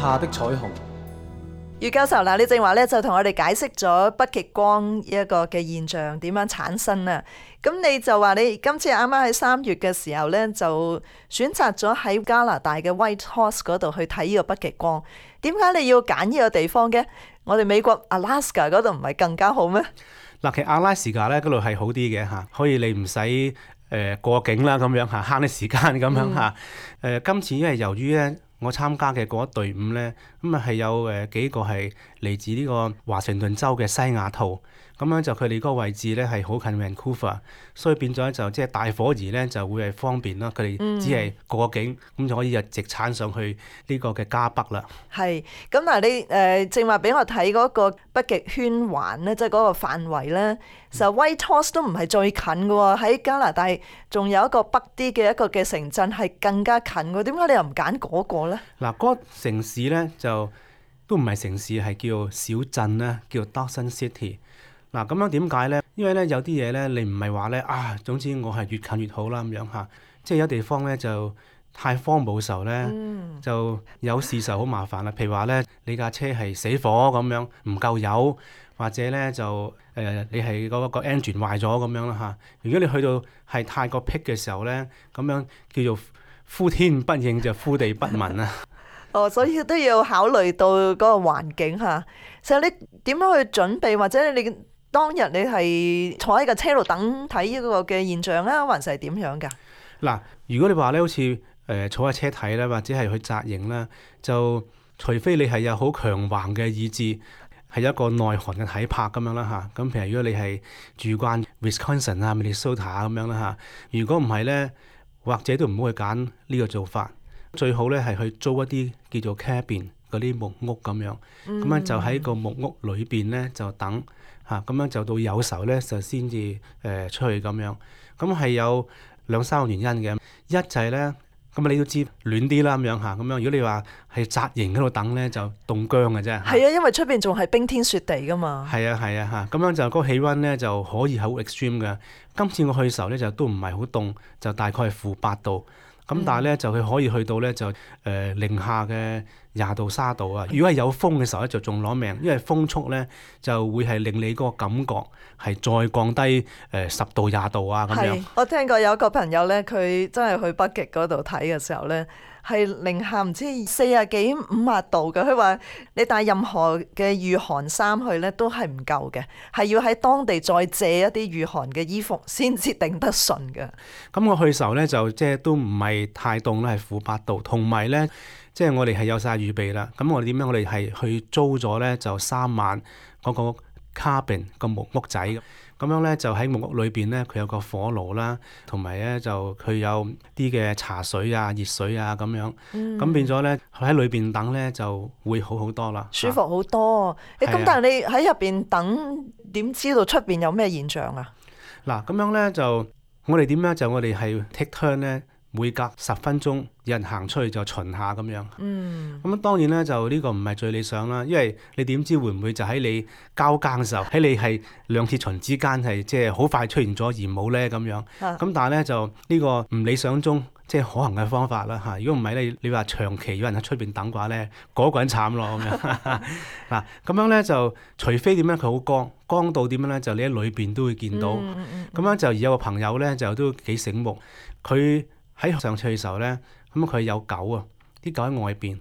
下的彩虹。余教授嗱，你正話咧就同我哋解釋咗北極光一個嘅現象點樣產生啦。咁你就話你今次啱啱喺3月嘅時候咧，就選擇咗喺加拿大嘅 Whitehorse 嗰度去睇呢個北極光。點解你要揀呢個地方嘅？我哋美國 Alaska 嗰度唔係更加好咩？嗱，其實阿拉斯加咧嗰度係好啲嘅嚇，可以你唔使過境啦咁樣嚇，慳啲時間咁樣嚇。今次因為由於咧我參加嘅嗰一隊伍咧，咁啊係有幾個係嚟自呢個華盛頓州嘅西雅圖，咁樣就佢哋嗰個位置咧係好近 Vancouver， 所以變咗就即係大伙兒咧就會係方便啦。佢哋只係過境咁就可以直產上去呢個嘅加北啦。係咁嗱，你正話俾我睇嗰個北極圈環咧，即係嗰個範圍咧，就 Whitehorse 都唔係最近嘅喎，喺加拿大仲有一個北啲嘅一個嘅城鎮係更加近嘅，點解你又唔揀嗰個咧？嗱，嗰個城市咧就都唔係城市，係叫小鎮啦，叫 Dawson City。嗱，咁樣點解咧？因為咧有啲嘢咧，你唔係話咧總之我係越近越好啦咁樣嚇。即係有地方咧就太荒蕪時候咧，就有事就好麻煩啦。譬如話咧，你架車係死火咁樣，唔夠油，或者咧就你係嗰個 engine 壞咗咁樣啦嚇。如果你去到係太過僻嘅時候咧，咁樣叫做呼天不應就呼地不聞啊。所以都要考慮到嗰個環境嚇。其實你點樣去準備，或者你當日你係坐喺架車度等睇呢個嘅現象啊，還是係點樣㗎？嗱，如果你話咧好似坐喺車睇咧，或者係去紮營啦，就除非你係有好強橫嘅意志，係一個耐寒嘅體魄咁樣啦嚇。咁譬如如果你係住慣 Wisconsin 啊、Minnesota 咁樣啦嚇，如果唔係咧，或者都唔好去揀呢個做法。最好咧係去租一啲叫做 cabin 嗰啲木屋咁樣，咁樣就喺個木屋裏邊咧就等嚇，咁樣就到有時候咧就先至出去咁樣。咁係有2-3個原因嘅，一就係咧，咁你都知暖啲啦咁樣嚇，咁樣如果你話係紮營嗰度等咧就凍僵嘅啫。係啊，因為出邊仲係冰天雪地噶嘛。係啊嚇，咁樣就嗰個氣温咧就可以係好 extreme 嘅。今次我去嘅時候咧就都唔係好凍，就大概係-8度。咁但係咧就佢可以去到咧就零下嘅20度30度啊！如果係有風嘅時候咧就仲攞命，因為風速咧就會係令你嗰個感覺係再降低10度20度啊咁樣。我聽過有一個朋友咧，佢真係去北極嗰度睇嘅時候咧，係零下唔知40幾50度嘅。佢話你帶任何嘅御寒衫去咧都係唔夠嘅，係要喺當地再借一啲御寒嘅衣服先至頂得順嘅。咁我去嘅時候咧就即係都唔係太凍啦，係-8度，同埋咧即係我哋係有晒預備啦。咁我哋點樣？我哋係去租咗咧就3晚嗰個 cabin 個木屋仔咁樣咧，就喺木屋裏邊咧，佢有個火爐啦，同埋咧就佢有啲嘅茶水啊、熱水啊咁樣。咁變咗咧喺裏邊等咧就會好好多啦，舒服好多。咁但係你喺入邊等，點知道出邊有咩現象啊？嗱，咁樣咧就我哋點樣？就我哋係 take turn 咧。每隔10分鐘有人行出去就巡下咁樣。咁當然咧就呢個唔係最理想啦，因為你點知會唔會就喺你交更嘅時候，喺你係2次巡之間係即係好快出現咗而冇咧咁樣。咁但係咧就呢個唔理想中即係可行嘅方法啦嚇。如果唔係你話長期有人喺出邊等嘅話咧，嗰個人慘咯咁樣。嗱咁樣咧就除非點樣佢好光到點樣咧，就你喺裏邊都會見到。咁樣就而有個朋友咧就都幾醒目，佢喺上次嘅時候咧，咁佢有狗啊，啲狗喺外邊。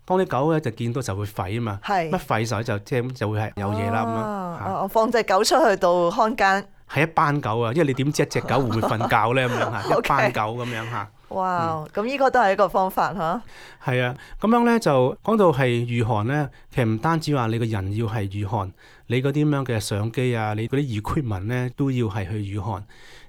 當啲狗咧就見到就會吠啊嘛，乜吠嘅時候就會係有嘢啦咁樣。我放隻狗出去到看更。係一班狗啊，因為你點知一隻狗會唔會瞓覺咧咁樣嚇？一班狗咁樣嚇。哇！咁呢個都係一個方法嚇。係啊，咁樣咧就講到係御寒咧，其實唔單止話你個人要係御寒，你嗰啲咁樣嘅相機啊，你嗰啲 equipment 咧都要係去御寒。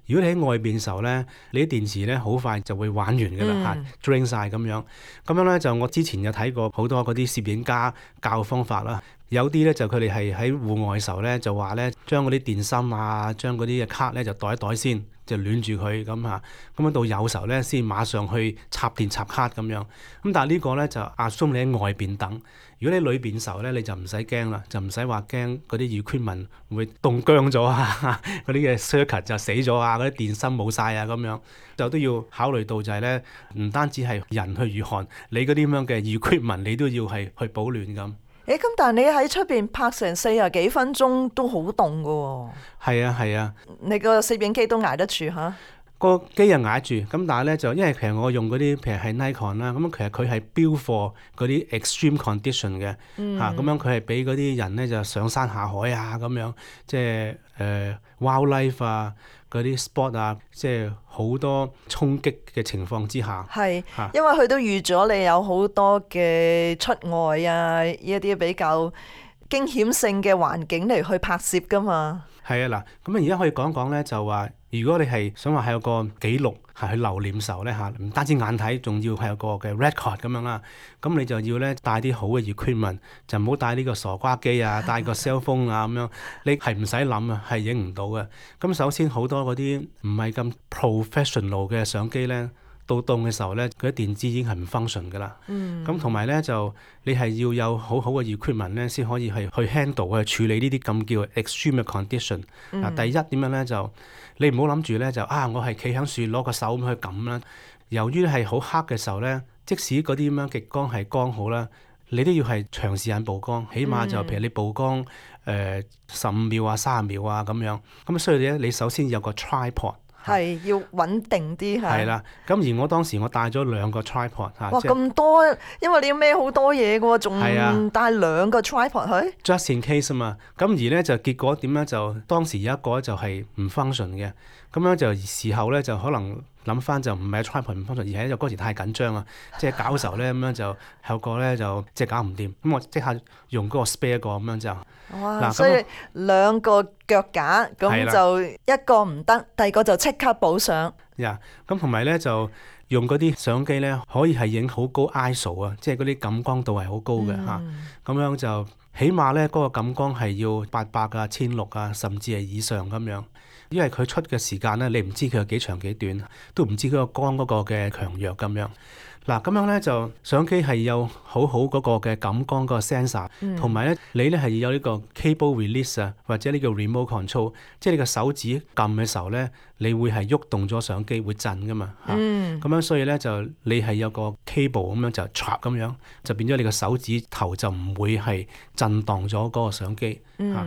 如果你喺外邊嘅時候咧，你啲電池咧好快就會玩完㗎啦嚇，drain 曬咁樣。咁樣咧就我之前有睇過好多嗰啲攝影家教方法啦。有啲咧就佢哋係喺戶外嘅時候咧就話咧將嗰啲電芯啊，將嗰啲嘅卡咧就袋一袋先，就暖住佢咁嚇，咁到有時候咧先馬上去插電插卡咁樣。咁但係呢個咧就assume你喺外邊等。如果你裏邊嘅時候咧，你就唔使驚啦，就唔使話驚嗰啲 equipment 會凍僵咗啊，嗰啲嘅 circuit 就死咗啊，嗰啲電芯冇晒啊咁樣，就都要考慮到就係咧，唔單止係人去御寒，你嗰啲咁樣嘅 equipment 你都要係去保暖咁。咁但係你喺出邊拍成40幾分鐘都好凍噶喎。係啊係啊，你個攝影機都捱得住嚇？個機又捱住，咁但係咧就因為其實我用嗰啲譬如係 Nikon 啦，咁其實佢係標貨嗰啲 extreme condition 嘅嚇，咁樣佢係俾嗰啲人咧就上山下海啊咁樣，即係wildlife 啊嗰啲 sport 啊，即係好多衝擊嘅情況之下。係，因為佢都預咗你有好多嘅出外啊，呢一啲比較驚險性嘅環境嚟去拍攝噶嘛。係啊嗱，咁而家可以講講咧，就話如果你係想話係有個記錄係去留念時候咧嚇，唔單止眼睇，仲要係有個嘅 record 咁樣啦。咁你就要咧帶啲好嘅 equipment，就唔好帶呢個傻瓜機啊，帶個 cell phone 啊咁樣。你係唔使諗啊，係影唔到嘅。咁首先好多嗰啲唔係咁 professional 嘅相機咧，到凍嘅時候咧，佢啲電子已經係唔 function 噶啦。咁同埋咧就你係要有好好嘅 equipment 咧，先可以係去 handle 去處理呢啲咁叫 extreme condition。第一點樣咧就你唔好諗住咧就我係企喺樹攞個手咁去撳啦。由於係好黑嘅時候咧，即使嗰啲咁樣極光係光好啦，你都要係長時間曝光，起碼就譬如你曝光15秒啊、30秒啊咁樣。咁所以咧你首先有個 tripod。係要穩定啲係。係啦，咁而我當時我帶咗2個 tripod 嚇。哇，咁多，因為你要孭好多嘢嘅喎，仲帶2個 tripod 去。Just in case 啊嘛，咁而咧就結果點咧就當時有一個就係唔 function 嘅，咁樣就事後咧就可能諗翻就唔係 tripod 唔 function，而係因為嗰時太緊張啊，即係搞時候咧咁樣就有個咧就即係搞唔掂，咁我即刻用嗰個 spare 個咁樣就。哇！所以2個腳架咁就一個唔得，第二個就即刻補上。咁同埋咧就用嗰啲相機咧，可以係影好高 ISO 啊，即係嗰啲感光度係好高嘅嚇。咁樣就起碼咧嗰個感光係要800啊、1600啊，甚至係以上咁樣。因為佢出嘅時間咧，你唔知佢有幾長幾短，都唔知嗰個光嗰個嘅強弱咁樣。嗱，咁樣咧就相機係有好好嗰個嘅感光嗰個 sensor，同埋咧你咧係要有呢個 cable release 啊，或者呢個 remote control，即係你個手指撳嘅時候咧，你會係喐動咗相機會震噶嘛嚇。咁樣所以咧就你係有個 cable 咁樣就 trap 咁樣，就變咗你個手指頭就唔會係震盪咗嗰個相機嚇。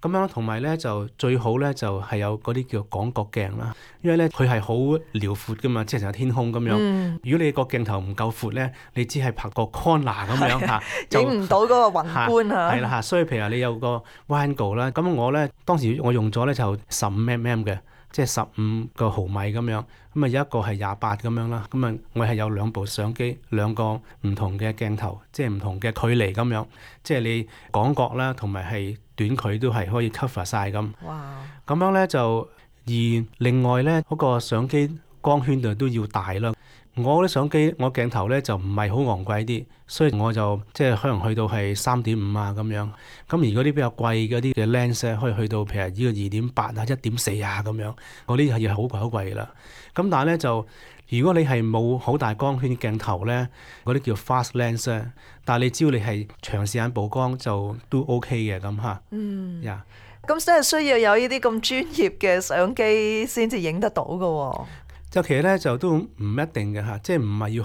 咁樣同埋咧就最好咧就係有嗰啲叫廣角鏡啦，因為咧佢係好遼闊噶嘛，即係成個天空咁樣。如果你個鏡頭唔夠闊咧，你只係拍個 corner 咁樣嚇，影唔到嗰個宏觀嚇。係啦嚇，所以譬如話你有個 wide angle 啦，咁我咧當時我用咗咧就15mm嘅，即係15個毫米咁樣。咁啊有一個係28咁樣啦。咁啊我係有2部相機，2個唔同嘅鏡頭，即係唔同嘅距離咁樣，即係你廣角啦，同埋係短距都係可以 cover 晒咁。哇！咁樣咧就而另外咧嗰個相機光圈就都要大啦。我啲相機我鏡頭咧就唔係好昂貴啲，所以我就即係可能去到係3.5啊咁樣。咁而嗰啲比較貴嗰啲嘅 lens 咧，可以去到譬如呢個2.8啊、1.4啊咁樣，嗰啲係要好貴啦。咁但係咧就如果你係冇好大光圈鏡頭咧，嗰啲叫 fast lens 咧，但係你只要你係長時間曝光就都 OK 嘅咁嚇。咁真係需要有呢啲咁專業嘅相機先至影得到㗎喎。就其實咧就都唔一定嘅嚇，即係唔係要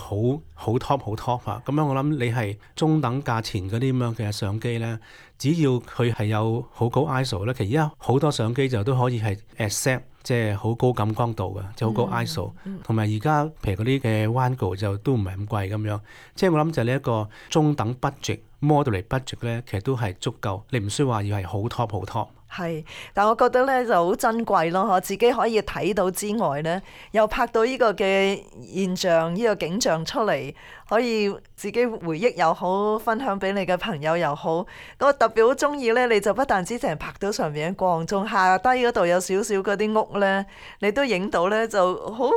好 top 嚇。咁樣我諗你係中等價錢嗰啲咁樣嘅相機咧，只要佢係有好高 ISO 咧，其實而家好多相機就都可以係 accept 即係好高感光度嘅，即係好高 ISO。同埋而家譬如嗰啲嘅 wide angle 就都唔係咁貴咁樣。即係我諗就係你一個中等 budget、moderate budget 咧，其實都係足夠。你唔需要話要係好 top。係，但我覺得咧就好珍貴咯，我自己可以睇到之外咧，又拍到呢個嘅現象、呢個景象出嚟，可以自己回憶又好，分享俾你嘅朋友又好。我特別好中意咧，你就不但止淨係拍到上面嘅光，仲下低嗰度有少少嗰啲屋咧，你都影到咧，就好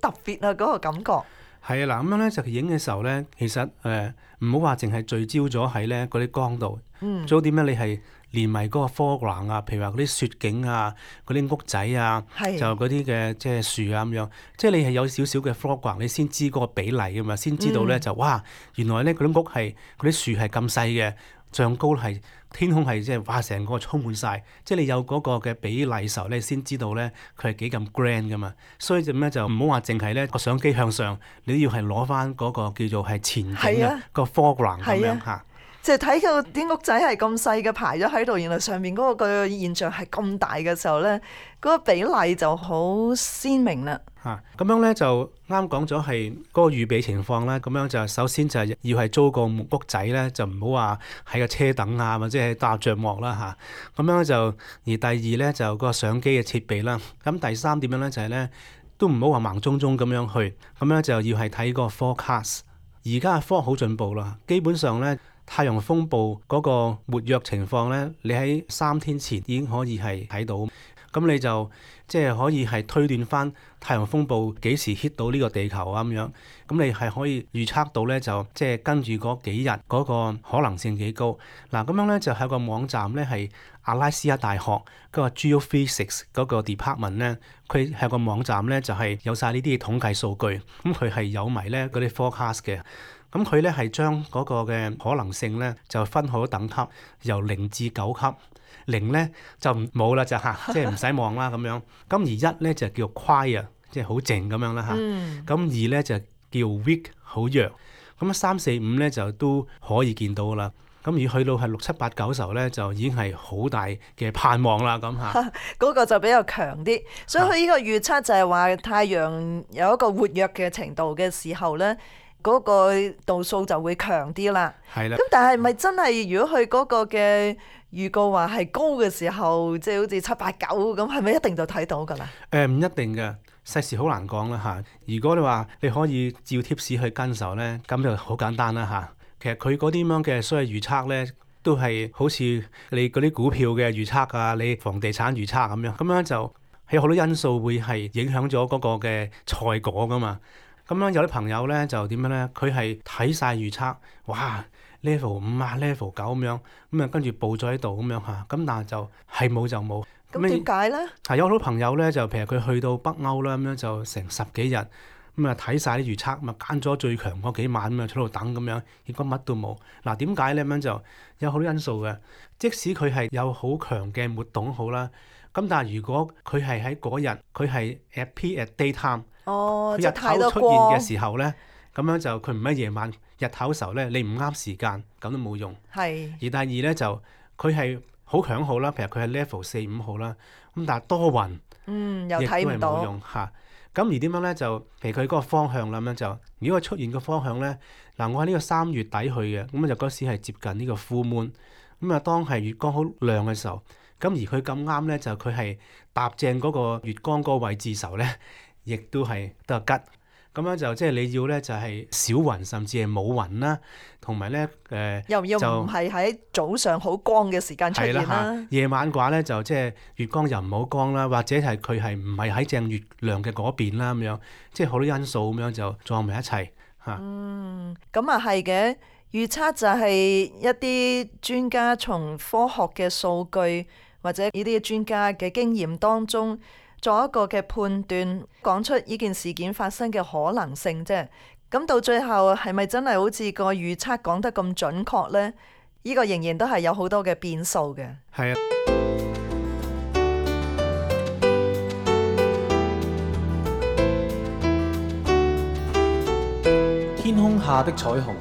特別啊！嗰個感覺。係啊，嗱咁樣咧就影嘅時候咧，其實唔好話淨係聚焦咗喺咧嗰啲光度，最好點樣你係連埋嗰個 foreground 啊，譬如話嗰啲雪景啊、嗰啲屋仔啊，係就嗰啲嘅即係樹啊咁樣，即係你係有少少嘅 foreground，你先知嗰個比例噶嘛，先知道咧就哇，原來咧嗰啲屋係嗰啲樹係咁細嘅，像高係天空係即係哇成個充滿晒，即係你有嗰個嘅比例時候咧，先知道咧佢係幾咁 grand 噶嘛。所以就咩就唔好話淨係咧個相機向上，你都要係攞翻嗰個叫做係前景啊個 foreground 咁樣嚇。即係睇到啲屋仔係咁細嘅排咗喺度，原來上面嗰個現象係咁大嘅時候咧，嗰個比例就好鮮明啦。咁樣咧就啱講咗係嗰個預備情況啦。咁樣就首先就係要係租個木屋仔咧，就唔好話喺個車等啊，或者係搭帳幕啦嚇。咁樣就而第二咧就個相機嘅設備啦。咁第三點樣咧就係咧都唔好話盲中中咁樣去。咁樣就要係睇個 forecast。而家嘅科學好進步啦，基本上咧太陽風暴嗰個活躍情況咧，你喺3天前已經可以係睇到。咁你就即係可以係推斷翻太陽風暴幾時 hit 到呢個地球啊咁樣，咁你係可以預測到咧，就即係跟住嗰幾日嗰個可能性幾高。嗱咁樣咧就係個網站咧係阿拉斯加大學嗰個 Geophysics 嗰個 department 咧，佢係個網站咧就係有晒呢啲統計數據，咁佢係有埋咧嗰啲 forecast 嘅。咁佢咧係將嗰個嘅可能性咧就分好等級，由0至9級。0咧就冇啦，就嚇，即係唔使望啦咁樣。咁而1咧就叫 quiet，即係好靜咁樣啦嚇。咁2咧就叫 weak， 好弱。咁3、4、5咧就都可以見到啦。咁而去到係6、7、8、9時候咧，就已經係好大嘅盼望啦咁嚇。嗰個就比較強啲，所以佢呢個預測就係話太陽有一個活躍嘅程度嘅時候咧，嗰個度數就會強啲啦。係啦。咁但係咪真係如果佢嗰個嘅預告話係高嘅時候，即係好似7、8、9咁，係咪一定就睇到㗎啦？唔一定嘅，世事好難講啦嚇。如果你話你可以照貼士去跟時候咧，咁就好簡單啦嚇。其實佢嗰啲咁樣嘅所謂預測咧，都係好似你嗰啲股票嘅預測啊，你房地產預測咁樣，咁樣就有好多因素會係影響咗嗰個嘅賽果㗎嘛。咁樣有啲朋友咧就點樣咧？佢係睇晒預測，哇！level 5啊 level 9咁樣，咁啊跟住報咗喺度咁樣嚇，咁但係就係冇就冇。咁點解咧？係有好多朋友咧，就譬如佢去到北歐啦，咁樣就成10幾日，咁啊睇晒啲預測，咁啊揀咗最強嗰幾晚咁啊喺度等咁樣，結果乜都冇。嗱點解咧？咁樣就有好多因素嘅。即使佢係有好強嘅活動好啦，咁但係如果佢係喺嗰日，佢係 appear at daytime，佢日頭出現嘅時候咧，咁樣就佢唔喺夜晚。日頭嘅時候咧，你唔啱時間，咁都冇用。係。而第二咧就佢係好強號啦，譬如佢係 level 4、5號啦，咁但係多雲，又睇唔到。亦都係冇用嚇。咁而點樣咧？就譬如佢嗰個方向啦，咁樣就如果佢出現個方向咧，嗱我喺呢個3月底去嘅，咁就嗰時係接近呢個 full moon，咁啊當係月光好亮嘅時候，咁而佢咁啱咧就佢係搭正嗰個月光嗰個位置時候咧，亦都係得吉。咁樣就即係你要咧，就係少雲甚至係冇雲啦，同埋咧又唔係喺早上好光嘅時間出現啦。夜晚嘅話咧，就即係月光又唔好光啦，或者係佢係唔係喺正月亮嘅嗰邊啦咁樣，即係好多因素咁樣就撞埋一齊嚇。咁啊係嘅，預測就係一啲專家從科學嘅數據或者呢啲專家嘅經驗當中，做一個嘅判斷，講出呢件事件發生嘅可能性啫。咁到最後係咪真係好似個預測講得咁準確呢？呢個仍然都係有好多嘅變數嘅。係啊。天空下的彩虹。